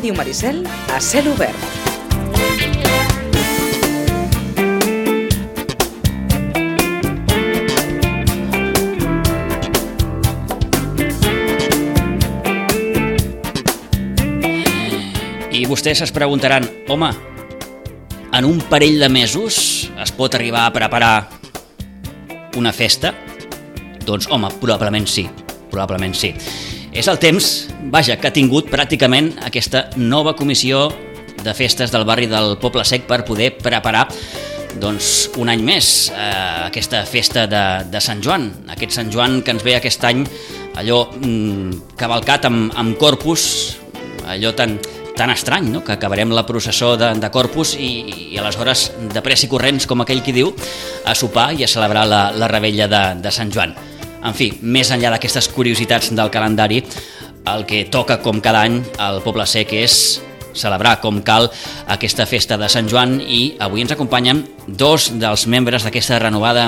Ràdio Maricel a cel obert. I vostès es preguntaran, home, en un parell de mesos es pot arribar a preparar una festa? Doncs, home, probablement sí. És el temps, que ha tingut pràcticament aquesta nova comissió de festes del barri del Poble Sec per poder preparar un any més aquesta festa de Sant Joan. Aquest Sant Joan que ens ve aquest any, allò cavalcat amb Corpus, allò tan estrany, no? Que acabarem la processó de Corpus i aleshores de pressa i corrents, com aquell qui diu, a sopar i a celebrar la revetlla de Sant Joan. En fi, més enllà d'aquestes curiositats del calendari, el que toca com cada any al Poble Sec és celebrar com cal aquesta festa de Sant Joan i avui ens acompanyen dos dels membres d'aquesta renovada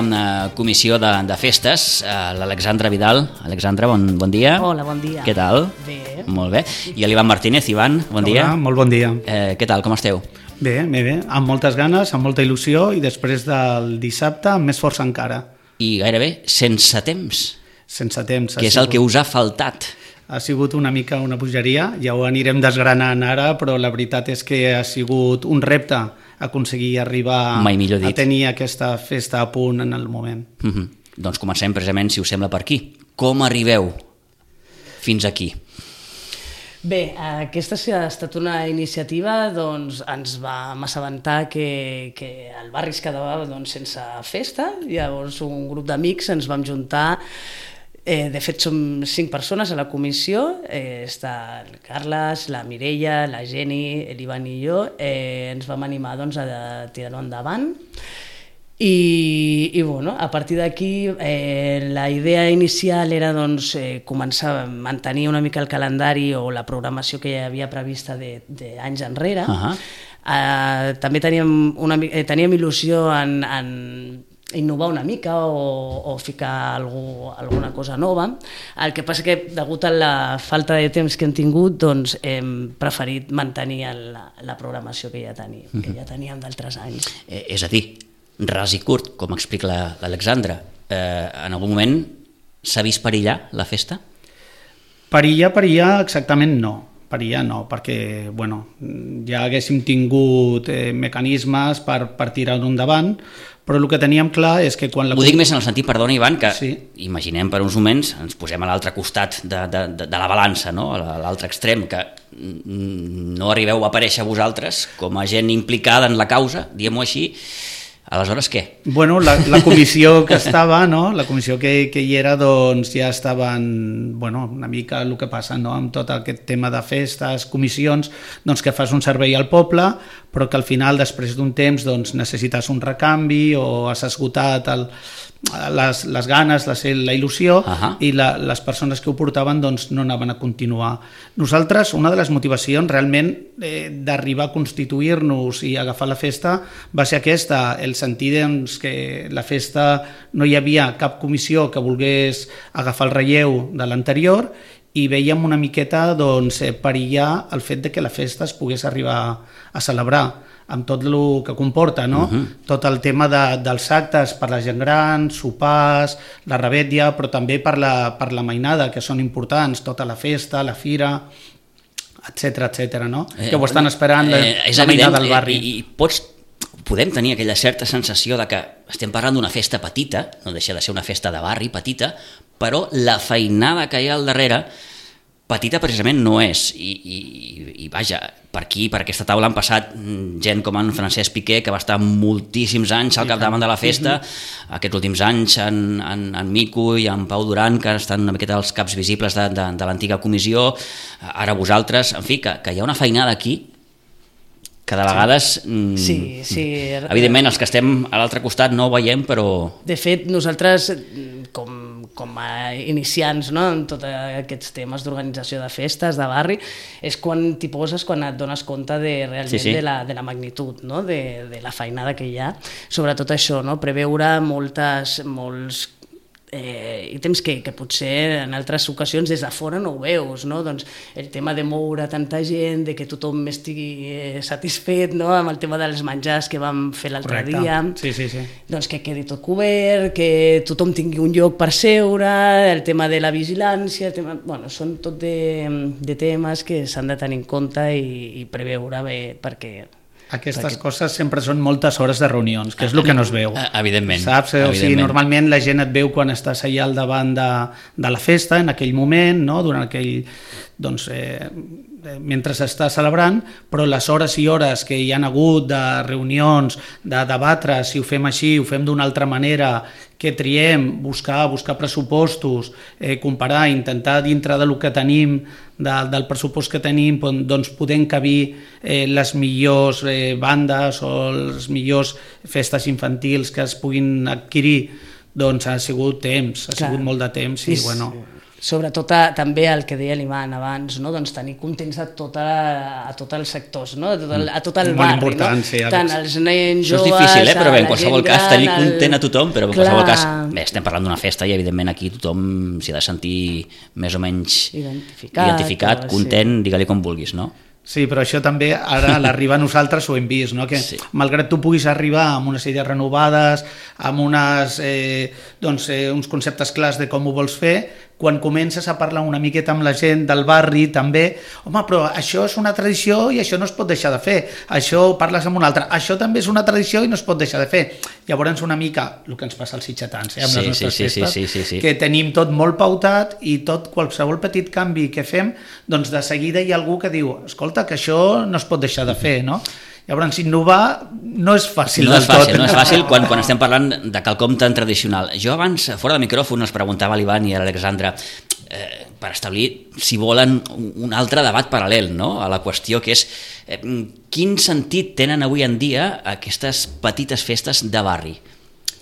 comissió de festes, l'Alexandra Vidal. Alexandra, bon dia. Hola, bon dia. Què tal? Bé. Molt bé. I l'Ivan Martínez. Ivan, bon dia. Hola, molt bon dia. Què tal, com esteu? Bé, amb moltes ganes, amb molta il·lusió i després del dissabte amb més força encara. I gairebé sense temps. Sense temps. Que és el que us ha faltat. Ha sigut una mica una bogeria, ja ho anirem desgranant ara, però la veritat és que ha sigut un repte aconseguir arribar a tenir aquesta festa a punt en el moment. Doncs comencem precisament, si us sembla, per aquí. Com arribeu fins aquí? Bé, aquesta ha estat una iniciativa, doncs ens vam assabentar que el barri es quedava sense festa, llavors un grup d'amics ens vam juntar. De fet, som 5 persones a la comissió, està el Carles, la Mireia, la Geni, l'Ivan i jo, ens vam animar a tirar-ho endavant i a partir d'aquí la idea inicial era començar a mantenir una mica el calendari o la programació que hi havia prevista d'anys enrere. També teníem il·lusió en innovar una mica o ficar alguna cosa nova. El que passa que, degut a la falta de temps que hem tingut, hem preferit mantenir la programació que ja teníem d'altres anys. És a dir, ras i curt, com explica l'Alexandra, en algun moment s'ha vist perillar la festa? Perillar exactament no. Perillar no, perquè ja haguéssim tingut mecanismes per tirar-ho endavant, però el que teníem clar és que quan... Ho dic més en el sentit, perdona Ivan, que imaginem per uns moments, ens posem a l'altre costat de la balança, no? A l'altre extrem, que no arribeu a aparèixer vosaltres com a gent implicada en la causa, diguem-ho així. Aleshores, què? La comissió que estava, la comissió que hi era, ja estaven, una mica el que passa amb tot aquest tema de festes, comissions, que fas un servei al poble, però que al final, després d'un temps, necessites un recanvi o has esgotat les ganes, la il·lusió, i les persones que ho portaven no anaven a continuar. Nosaltres, una de les motivacions realment d'arribar a constituir-nos i agafar la festa va ser aquesta, el sentir que la festa no hi havia cap comissió que volgués agafar el relleu de l'anterior i veiem una miqueta perillar el fet de que la festa es pogués arribar a celebrar amb tot el que comporta, no? Tot el tema dels actes per la gent gran, sopars, la revetlla, però també per la mainada, que són importants, tota la festa, la fira, etc., no? Que ho estan esperant la mainada del barri. I podem tenir aquella certa sensació de que estem parlant d'una festa petita, no deixa de ser una festa de barri petita, però la feinada que hi ha al darrere petita precisament no és. I vaja, per aquí, per aquesta taula han passat gent com en Francesc Piqué, que va estar moltíssims anys al capdavant de la festa, aquests últims anys en Mico i en Pau Duran, que estan una miqueta els caps visibles de l'antiga comissió, ara vosaltres, en fi, que hi ha una feinada aquí que de vegades, evidentment, els que estem a l'altre costat no ho veiem, però... De fet, nosaltres, com a iniciants en tots aquests temes d'organització de festes, de barri, és quan t'hi poses, quan et dones compte realment de la magnitud, de la feinada que hi ha. Sobretot això, preveure molts i temps que potser en altres ocasions des de fora no ho veus, no? Doncs el tema de moure tanta gent, de que tothom estigui satisfet, no? Amb el tema dels menjars que vam fer l'altre dia, doncs que quedi tot cobert, que tothom tingui un lloc per seure, el tema de la vigilància, bueno, són tot de temes que s'han de tenir en compte i preveure bé, perquè aquestes coses sempre són moltes hores de reunions, que és el que no es veu. Evidentment. Saps? O sigui, normalment la gent et veu quan estàs allà al davant de la festa, en aquell moment, no? Durant aquell... doncs, mentre s'està celebrant, però les hores i hores que hi han hagut de reunions, de debatre si ho fem així, ho fem d'una altra manera, que triem, buscar pressupostos, comparar, intentar dintre del que tenim, del pressupost que tenim, doncs poder encabir les millors bandes o les millors festes infantils que es puguin adquirir, doncs ha sigut temps, ha sigut molt de temps i bueno... Sobretot també el que deia l'Ivan abans, no? Doncs tenir contents a tots els sectors, no? A tot el barri, no? Sí, tant els nens joves, això és difícil, però bé, en qualsevol cas tenir content a tothom, però en qualsevol cas bé, estem parlant d'una festa i evidentment aquí tothom s'hi ha de sentir més o menys identificat, content, digue-li com vulguis, no? Sí, però això també ara a l'arribar a nosaltres ho hem vist, no? Que malgrat tu puguis arribar amb unes idees renovades, amb uns conceptes clars de com ho vols fer, quan comences a parlar una miqueta amb la gent del barri també, home, però això és una tradició i això no es pot deixar de fer, això parles amb un altre, això també és una tradició i no es pot deixar de fer. Llavors una mica el que ens passa als sitgetans, amb les nostres festes, que tenim tot molt pautat i tot qualsevol petit canvi que fem, doncs de seguida hi ha algú que diu, escolta, que això no es pot deixar de fer, no? Llavors, innovar no és fàcil del tot. No és fàcil quan estem parlant de quelcom tan tradicional. Jo abans, fora de micròfon, els preguntava a l'Ivan i a l'Alexandra per establir si volen un altre debat paral·lel, no? A la qüestió que és quin sentit tenen avui en dia aquestes petites festes de barri?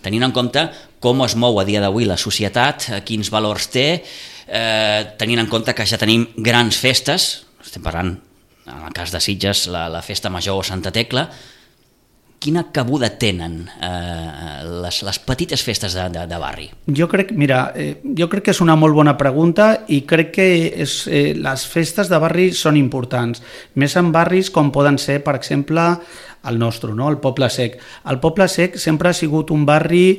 Tenint en compte com es mou a dia d'avui la societat, quins valors té, tenint en compte que ja tenim grans festes, estem parlant en el cas de Sitges, la Festa Major o Santa Tecla, quina cabuda tenen les petites festes de barri? Jo crec que és una molt bona pregunta i crec que les festes de barri són importants, més en barris com poden ser, per exemple, el nostre, no? El Poble Sec. El Poble Sec sempre ha sigut un barri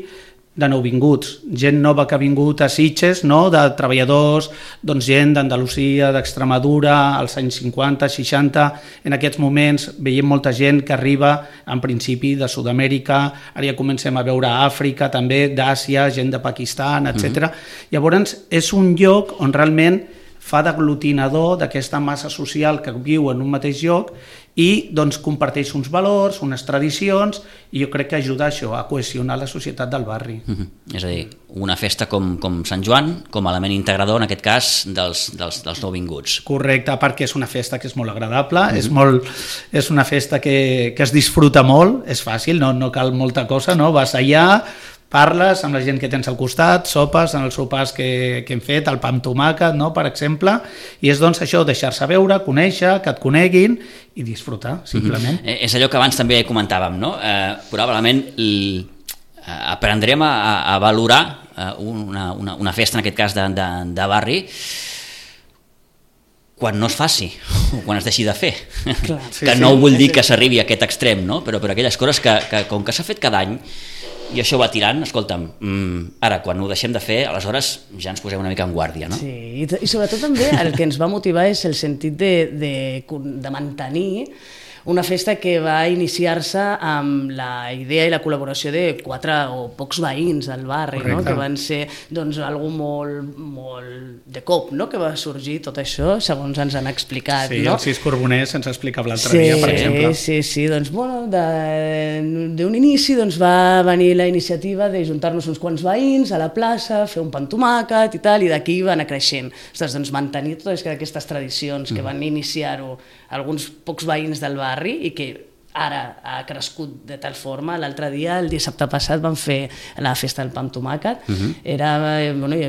de nouvinguts, gent nova que ha vingut a Sitges, no? De treballadors, doncs gent d'Andalusia, d'Extremadura, als anys 50, 60, en aquests moments veiem molta gent que arriba en principi de Sud-amèrica, ara ja comencem a veure Àfrica també, d'Àsia, gent de Pakistan, etc. Llavors és un lloc on realment fa d'aglutinador d'aquesta massa social que viu en un mateix lloc i doncs comparteix uns valors, unes tradicions, i jo crec que ajuda això a cohesionar la societat del barri. És a dir, una festa com Sant Joan, com a element integrador, en aquest cas, dels nouvinguts. Correcte, perquè és una festa que és molt agradable, és una festa que es disfruta molt, és fàcil, no cal molta cosa, no? Vas allà, parles amb la gent que tens al costat, sopes en els sopars que hem fet, el pa amb tomàquet, no? Per exemple, i és doncs això, deixar-se veure, conèixer, que et coneguin i disfrutar, simplement. És allò que abans també comentàvem, no? Probablement aprendrem a valorar una festa, en aquest cas de barri, quan no es faci, o quan es deixi de fer. Clar, que no vull dir que s'arribi a aquest extrem, no? Però aquelles coses que com que s'ha fet cada any, i això va tirant, escolta'm, ara quan ho deixem de fer, aleshores ja ens posem una mica en guàrdia, no? Sí, i sobretot també el que ens va motivar és el sentit de mantenir una festa que va iniciar-se amb la idea i la col·laboració de 4 o pocs veïns del barri, no? Que van ser doncs, algú molt de cop, no? Que va sorgir tot això, segons ens han explicat. Sí, no? el Cis Corboners ens explicava l'altre dia, per exemple. Sí, doncs bueno, d'un inici doncs, va venir la iniciativa de juntar-nos uns quants veïns a la plaça, fer un pa amb tomàquet i tal, i d'aquí va anar creixent. Ostres, doncs mantenir totes aquestes tradicions que van iniciar-ho alguns pocs veïns del barri i que ara ha crescut de tal forma. L'altre dia, el dissabte passat, vam fer la festa del pa amb tomàquet.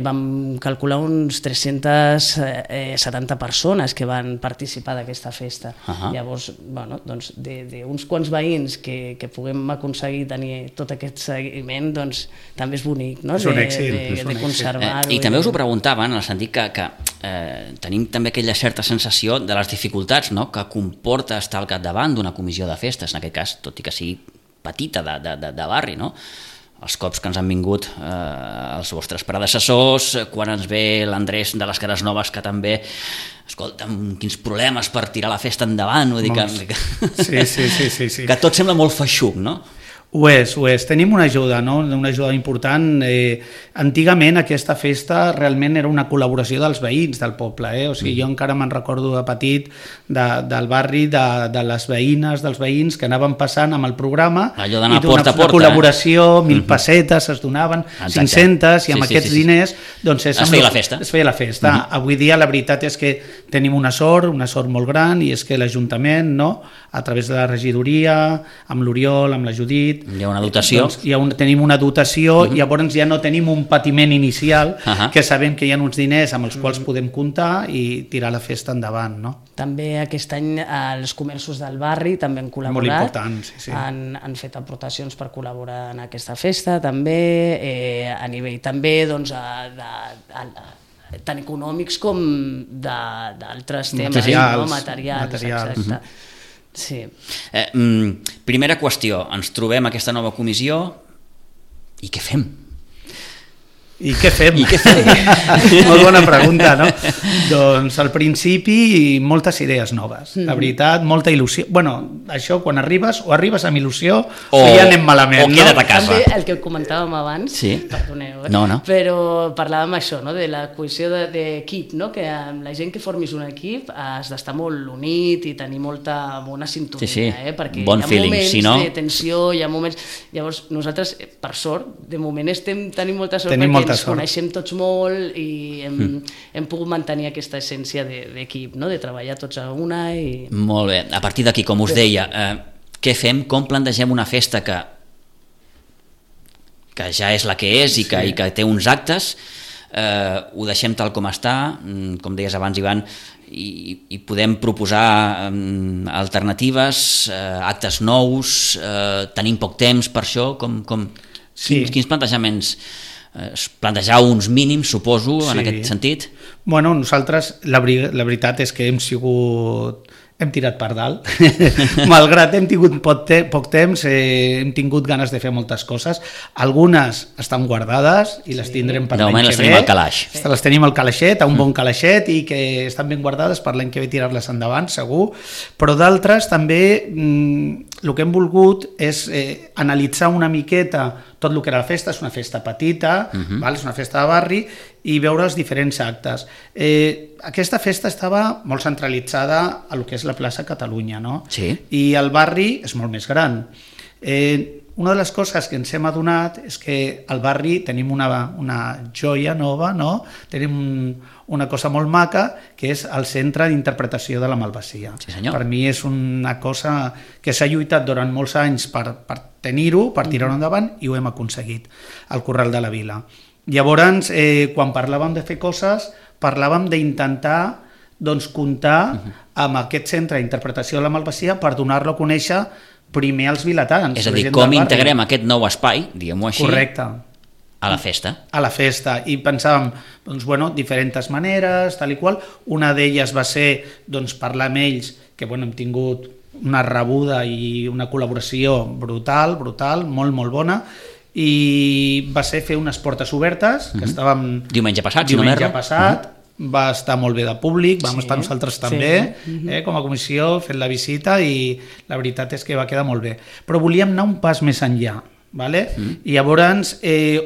Vam calcular uns 370 persones que van participar d'aquesta festa. Llavors, doncs, d'uns quants veïns que puguem aconseguir tenir tot aquest seguiment, doncs també és bonic, no? És un èxit. De conservar-ho. I també us ho preguntaven, en el sentit que tenim també aquella certa sensació de les dificultats, no?, que comporta estar al capdavant d'una comissió de festes, en aquest cas, tot i que sigui petita, de barri, no? Els cops que ens han vingut els vostres predecessors, quan ens ve l'Andrés de les Cares Noves, que també, escolta'm, quins problemes per tirar la festa endavant, vull dir que... Sí. Que tot sembla molt feixuc, no? Ho és. Tenim una ajuda, no? Una ajuda important. Antigament aquesta festa realment era una col·laboració dels veïns del poble. O sigui, jo encara me'n recordo de petit del barri, de les veïnes, dels veïns que anaven passant amb el programa. Allò d'anar porta a porta. Una col·laboració, 1.000 pessetes es donaven, 500, i amb aquests diners doncs es feia la festa. Avui dia la veritat és que tenim una sort molt gran, i és que l'Ajuntament, no?, a través de la regidoria, amb l'Oriol, amb la Judit, hi ha una dotació. Doncs tenim una dotació, i llavors ja no tenim un patiment inicial, que sabem que hi ha uns diners amb els quals podem comptar i tirar la festa endavant, no? També aquest any els comerços del barri també han col·laborat. Molt important, sí. Han fet aportacions per col·laborar en aquesta festa, també, a nivell també, doncs, tant econòmics com d'altres temes, materials, exacte. Sí. Primera qüestió, ens trobem aquesta nova comissió i què fem? I què fem? Molt bona pregunta, no? Doncs al principi moltes idees noves, la veritat, molta il·lusió. Bueno, això quan arribes, o arribes amb il·lusió o ja anem malament, o queda't a casa. També el que comentàvem abans, perdoneu, però parlàvem això, no? De la cohesió d'equip, no? Que amb la gent que formis un equip has d'estar molt unit i tenir molta bona sintonia, perquè bon hi ha moments de tensió, hi ha moments... Llavors nosaltres, per sort, de moment tenim molta sort perquè ens coneixem tots molt i hem pogut mantenir aquesta essència d'equip, no? De treballar tots a una. Molt bé, a partir d'aquí, com us deia, què fem, com plantegem una festa que ja és la que és i que té uns actes, ho deixem tal com està, com deies abans, Ivan, i podem proposar alternatives, actes nous, tenim poc temps per això, quins plantejaments... plantejar uns mínims, suposo, en aquest sentit? Bueno, nosaltres la veritat és que hem tirat per dalt. Malgrat hem tingut poc temps, hem tingut ganes de fer moltes coses. Algunes estan guardades i les tindrem per l'any que ve. De moment les tenim al calaix. Les tenim al calaixet, a un bon calaixet, i que estan ben guardades per l'any que ve tirar-les endavant, segur. Però d'altres també el que hem volgut és analitzar una miqueta tot el que era la festa. És una festa petita, és una festa de barri, i veure els diferents actes. Aquesta festa estava molt centralitzada a lo que és la plaça Catalunya, no? Sí. I el barri és molt més gran. Una de les coses que ens hem adonat és que al barri tenim una joia nova, no? Tenim una cosa molt maca, que és el Centre d'Interpretació de la Malvasia. Sí, senyor. Per mi és una cosa que s'ha lluitat durant molts anys per tenir-ho, per tirar-ho endavant, i ho hem aconseguit, al Corral de la Vila. Llavors, quan parlàvem de fer coses, parlàvem d'intentar comptar amb aquest centre d'interpretació de la Malvasia per donar-lo a conèixer primer als vilatans. És a dir, com integrem aquest nou espai, diguem-ho així, correcte, a la festa. A la festa, i pensàvem, diferents maneres, tal i qual. Una d'elles va ser parlar amb ells, que hem tingut una rebuda i una col·laboració brutal, molt, molt bona, i va ser fer unes portes obertes, que estàvem... Diumenge passat, va estar molt bé de públic, vam estar nosaltres també, com a comissió, fent la visita, i la veritat és que va quedar molt bé. Però volíem anar un pas més enllà, vale? I llavors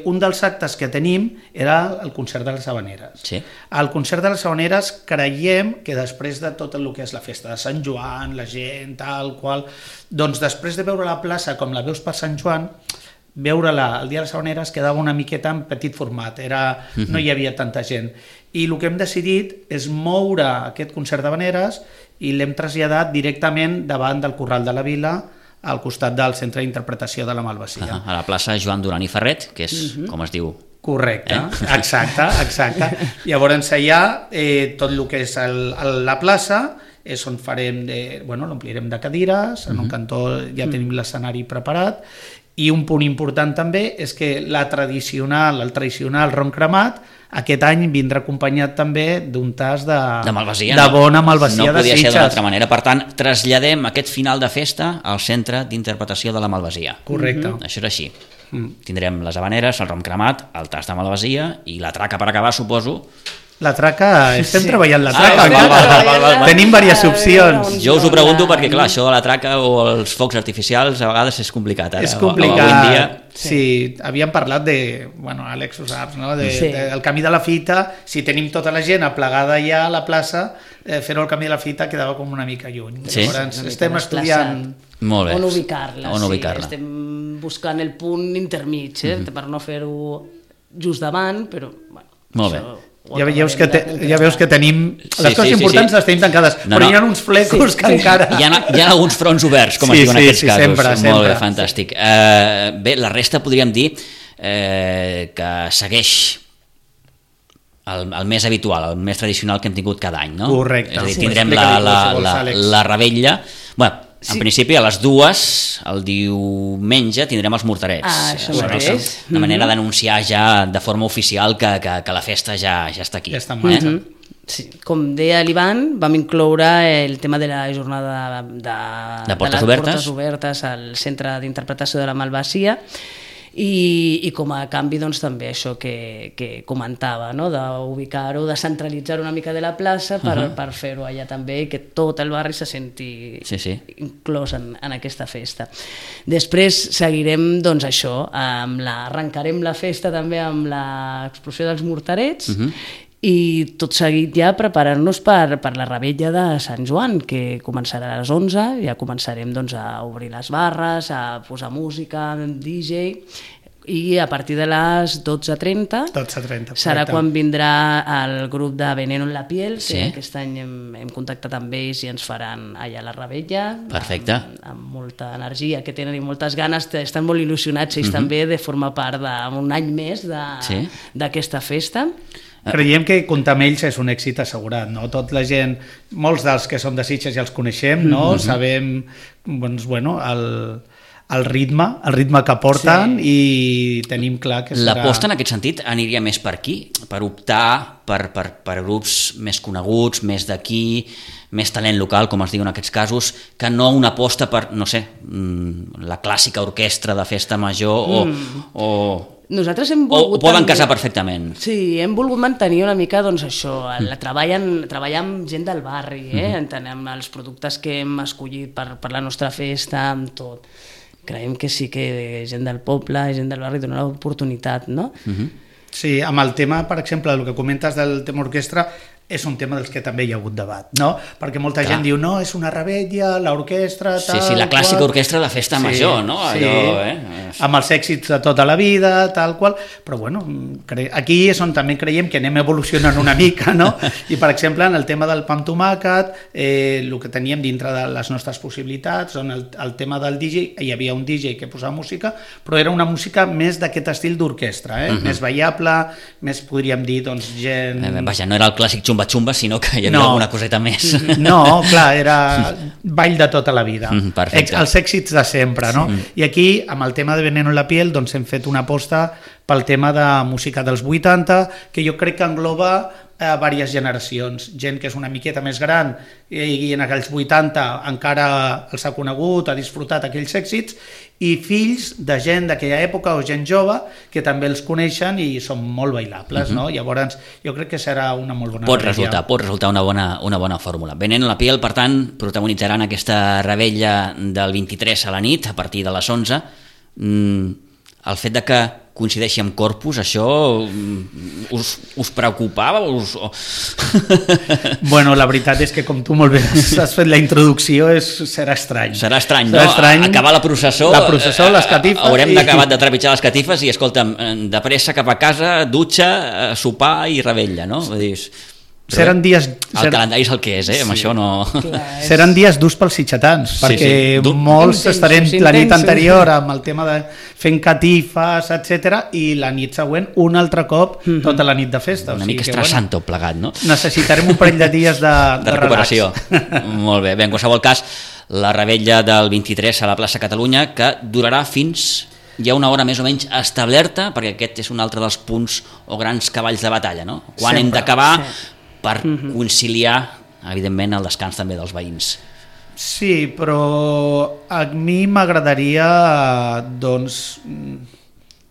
un dels actes que tenim era el concert de les Havaneres. Sí. Al concert de les Havaneres creiem que després de tot el que és la festa de Sant Joan, la gent, tal qual, doncs després de veure la plaça com la veus per Sant Joan, veure-la el dia de les Havaneres quedava una miqueta en petit format, no hi havia tanta gent. I el que hem decidit és moure aquest concert d'Havaneres i l'hem traslladat directament davant del Corral de la Vila, al costat del Centre d'Interpretació de la Malvasia. A la plaça Joan Duran i Ferret, que és, com es diu... Correcte, exacte. Llavors allà, tot el que és la plaça, és on farem, l'omplirem de cadires, en un cantó ja tenim l'escenari preparat, i un punt important també és que el tradicional ron cremat, aquest any vindrà acompanyat també d'un tas de malvasia, de bona malvasia de Sitges. No podia ser d'una altra manera. Per tant, traslladem aquest final de festa al Centre d'Interpretació de la Malvasia. Correcte. Això és així. Tindrem les habaneres, el rom cremat, el tas de malvasia i la traca per acabar, suposo. La traca, estem treballant la traca. Tenim diverses opcions. Jo us ho pregunto perquè, clar, això de la traca o els focs artificials a vegades és complicat. És complicat. Sí, havíem parlat de, Àlex ho saps, no? Del camí de la fita, si tenim tota la gent aplegada ja a la plaça, fer-ho al camí de la fita quedava com una mica lluny. Llavors estem estudiant on ubicar-la. Estem buscant el punt intermig, per no fer-ho just davant, però... Molt bé. Ja veus que tenim... Les coses importants les tenim tancades, però hi ha uns flecos que encara... Hi ha alguns fronts oberts, com es diu en aquests casos. Sempre. Molt bé, fantàstic. Bé, la resta podríem dir que segueix el més habitual, el més tradicional que hem tingut cada any, no? Correcte. És a dir, tindrem la revetlla... Bueno, en principi a les 2, el diumenge, tindrem els morterets. Això mateix. Una manera d'anunciar ja de forma oficial que la festa ja està aquí. Ja està en marxa. Sí. Com deia l'Ivan, vam incloure el tema de la jornada de portes obertes al Centre d'Interpretació de la Malvasia, i com a canvi doncs, també això que comentava, no? D'ubicar-ho, de centralitzar una mica de la plaça per fer-ho allà també i que tot el barri se senti inclòs en aquesta festa. Després seguirem doncs, això, arrencarem la festa també amb l'explosió dels morterets i tot seguit ja preparar-nos per la revetlla de Sant Joan, que començarà a les 11, ja començarem doncs, a obrir les barres, a posar música, DJ, i a partir de les 12:30 serà quan vindrà el grup de Veneno en la piel, que aquest any hem contactat amb ells i ens faran allà la revetlla. Perfecte. Amb molta energia que tenen i moltes ganes, estan molt il·lusionats ells també de formar part d'un any més d'aquesta festa. Creiem que comptar amb ells és un èxit assegurat, no? Tot la gent, molts dels que som de Sitges ja els coneixem, no? Sabem, doncs, el ritme que porten i tenim clar que serà... L'aposta en aquest sentit aniria més per aquí, per optar per grups més coneguts, més d'aquí, més talent local, com es diu en aquests casos, que no una aposta per, no sé, la clàssica orquestra de festa major o nosaltres hem volgut... O poden casar perfectament. Sí, hem volgut mantenir una mica doncs, això, treballar amb gent del barri, amb els productes que hem escollit per la nostra festa, amb tot. Creiem que sí que gent del poble, gent del barri dona l'oportunitat, no? Sí, amb el tema, per exemple, el que comentes del tema orquestra, és un tema dels que també hi ha hagut debat, no? Perquè molta gent diu, no, és una revetlla, l'orquestra... Sí, la clàssica orquestra de festa major, no? Amb els èxits de tota la vida, tal qual, però bueno, aquí és on també creiem que anem evolucionant una mica, no? I per exemple, en el tema del pa amb tomàquet, el que teníem dintre de les nostres possibilitats, on el tema del DJ, hi havia un DJ que posava música, però era una música més d'aquest estil d'orquestra, més ballable, més podríem dir, doncs, gent... Vaja, no era el clàssic xumba-xumba, sinó que hi havia alguna coseta més. No, clar, era ball de tota la vida. Perfecte. Els èxits de sempre, no? I aquí, amb el tema de Veneno en la piel, doncs hem fet una aposta pel tema de música dels 80, que jo crec que engloba diverses generacions. Gent que és una miqueta més gran i en aquells 80 encara els ha conegut, ha disfrutat aquells èxits, i fills de gent d'aquella època o gent jove que també els coneixen i són molt bailables, no? Llavors jo crec que serà una molt bona revetlla. Pot resultar una bona fórmula. Veneno en la piel, per tant, protagonitzaran aquesta revetlla del 23 a la nit, a partir de les 11. El fet de que coincideixi amb Corpus, això us preocupava? Bueno, la veritat és que com tu molt bé has fet la introducció, serà estrany. Serà estrany, no? Acabar la processó, les catifes... Haurem d'acabar de trepitjar les catifes i, escolta'm, de pressa cap a casa, dutxa, sopar i revetlla, no? Vull dir, Seran dies... El calendari és el que és, amb això no... Seran dies durs pels sitxatans, perquè molts estarem la nit anterior amb el tema de fent catifes, etc, i la nit següent un altre cop tota la nit de festa. Una mica estressant tot plegat, no? Necessitarem un parell de dies de recuperació. Molt bé, en qualsevol cas, la revetlla del 23 a la plaça Catalunya, que durarà fins... Hi ha una hora més o menys establerta, perquè aquest és un altre dels punts o grans cavalls de batalla, no? Quan hem d'acabar per conciliar, evidentment, el descans també dels veïns. Sí, però a mi m'agradaria doncs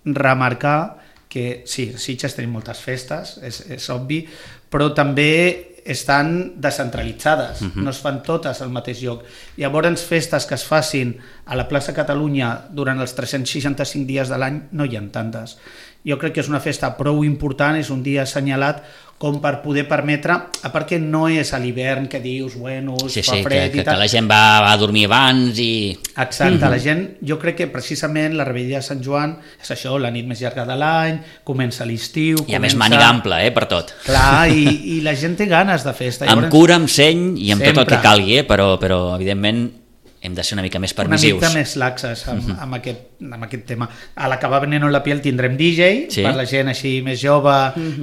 remarcar que sí, a Sitges tenim moltes festes, és obvi, però també estan descentralitzades, no es fan totes al mateix lloc. Llavors, festes que es facin a la plaça Catalunya durant els 365 dies de l'any no hi ha tantes. Jo crec que és una festa prou important, és un dia assenyalat com per poder permetre, a part que no és a l'hivern que dius, bueno, fa fred i tal. Que la gent va a dormir abans i... Exacte, la gent, jo crec que precisament la revetlla de Sant Joan és això, la nit més llarga de l'any, comença l'estiu... I a més màniga ampla, per tot. Clar, i la gent té ganes de festa. Amb cura, amb seny i amb tot el que calgui, però evidentment hem de ser una mica més permissius. Una mica més laxes amb aquest tema. A l'acabar Veneno en la piel tindrem DJ, per la gent així més jove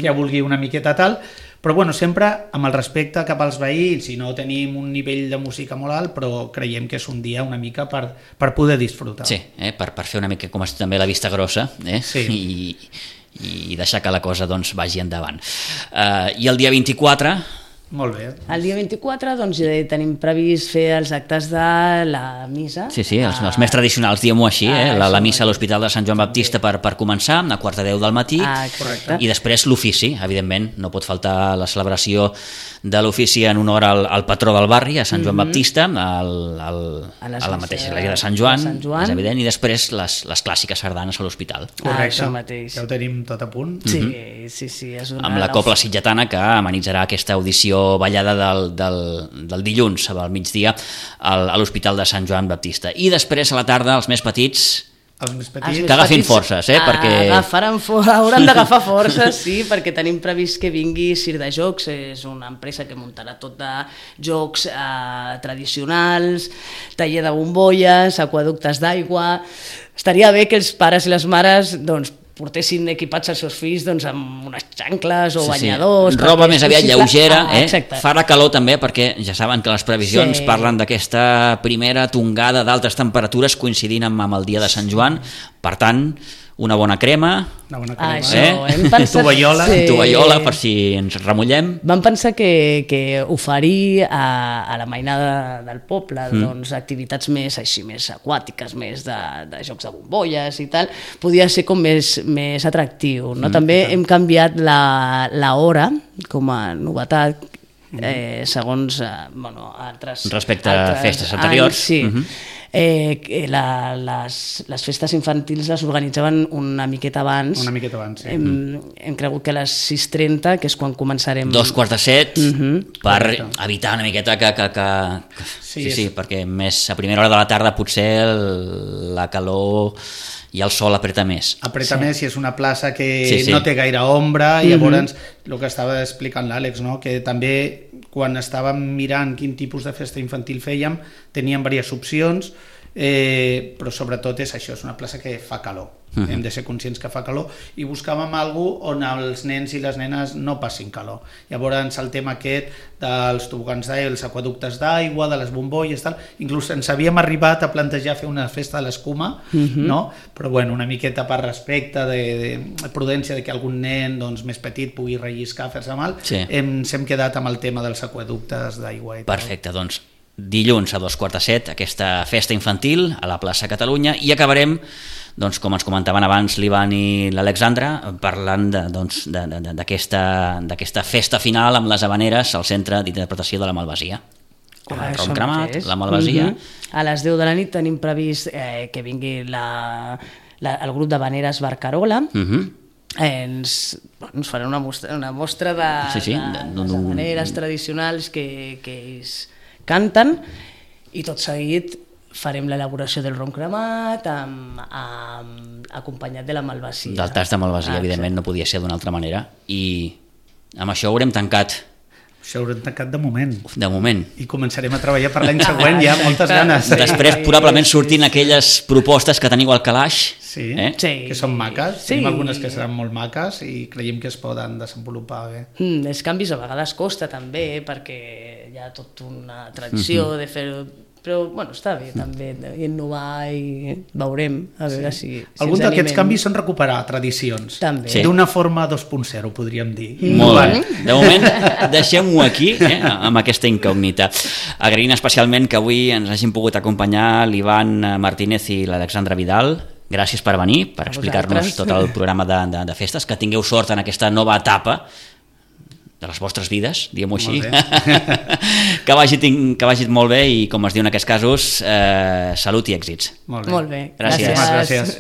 que vulgui una miqueta tal, però bueno, sempre amb el respecte cap als veïns, i no tenim un nivell de música molt alt, però creiem que és un dia una mica per poder disfrutar. Sí, per fer una mica com també la vista grossa, i deixar que la cosa doncs vagi endavant. I el dia 24... Molt bé. El dia 24 doncs, tenim previst fer els actes de la missa. Sí, els més tradicionals, diguem-ho així, la missa a l'Hospital de Sant Joan Baptista per començar, a 9:45 del matí, i després l'ofici, evidentment, no pot faltar la celebració de l'ofici en honor al patró del barri, a Sant Joan Baptista, a la mateixa església de Sant Joan, és evident, i després les clàssiques sardanes a l'hospital. Correcte, ja ho tenim tot a punt. Sí. Amb la Cobla Sitgetana, que amenitzarà aquesta audició ballada del dilluns al migdia a l'Hospital de Sant Joan Baptista. I després a la tarda els més petits que agafin forces, perquè... Hauran d'agafar forces, sí, perquè tenim previst que vingui Cir de Jocs, és una empresa que muntarà tot de jocs tradicionals, taller de bombolles, aquaductes d'aigua... Estaria bé que els pares i les mares doncs, portessin equipats els seus fills doncs, amb unes xancles o banyadors... Roba més aviat lleugera, farà calor també, perquè ja saben que les previsions parlen d'aquesta primera tongada d'altes temperatures coincidint amb el dia de Sant Joan, per tant, una bona crema, tovallola per si ens remullem. Vam pensar que oferir a la mainada del poble doncs, activitats més aquàtiques, més de jocs de bombolles i tal, podia ser com més atractiu. No? També hem canviat l'hora com a novetat segons altres... Respecte a festes anteriors. Sí. Les festes infantils les organitzaven una miqueta abans. Hem cregut que a les 6:30, que és quan començarem... 6:45, per evitar una miqueta que... Sí, perquè més a primera hora de la tarda potser la calor i el sol apreta més. Apreta més, i és una plaça que no té gaire ombra, i llavors el que estava explicant l'Àlex, no? Que també quan estàvem mirant quin tipus de festa infantil fèiem, teníem diverses opcions, però sobretot és això, és una plaça que fa calor. Hem de ser conscients que fa calor, i buscàvem alguna on els nens i les nenes no passin calor. Llavors el tema aquest dels tobogans d'aigua, els aquaductes d'aigua, de les bombolles, tal, inclús ens havíem arribat a plantejar fer una festa de l'escuma, no? Però bueno, una miqueta per respecte, de prudència de que algun nen doncs, més petit pugui relliscar, fer-se mal, ens hem quedat amb el tema dels aquaductes d'aigua. Perfecte, doncs dilluns a 6:45 aquesta festa infantil a la plaça Catalunya, i acabarem, doncs, com ens comentaven abans l'Ivan i l'Alexandra, parlant d'aquesta festa final amb les havaneres al centre d'interpretació de la Malvasia. El rom cremat, la Malvasia. A les 10 de la nit tenim previst que vingui el grup d'havaneres Barcarola. Ens farà una mostra de havaneres tradicionals que ells canten, i tot seguit farem l'elaboració del rom cremat acompanyat de la malvasia. Del tas de malvasia, evidentment no podia ser d'una altra manera, i amb això haurem tancat Això haurem tancat de moment. De moment. I començarem a treballar per l'any següent, ja, moltes ganes. Després probablement sortin aquelles propostes que teniu al calaix. Sí, Sí. que són maques. Sí. Tenim algunes que seran molt maques i creiem que es poden desenvolupar bé. Els canvis a vegades costa també, perquè hi ha tota una tradició de fer-ho, però bueno, està bé també innovar i veurem a veure si Alguns ens d'aquests animem. canvis són recuperar tradicions. També. Sí. D'una forma 2.0, podríem dir. Molt bé. De moment, deixem-ho aquí, amb aquesta incògnita. Agraint especialment que avui ens hagin pogut acompanyar l'Ivan Martínez i l'Alexandra Vidal. Gràcies per venir, per explicar-nos tot el programa de festes. Que tingueu sort en aquesta nova etapa de les vostres vides, diguem-ho així. Que vagi molt bé i, com es diu en aquests casos, salut i èxits. Molt bé. Molt bé. Gràcies. Gràcies.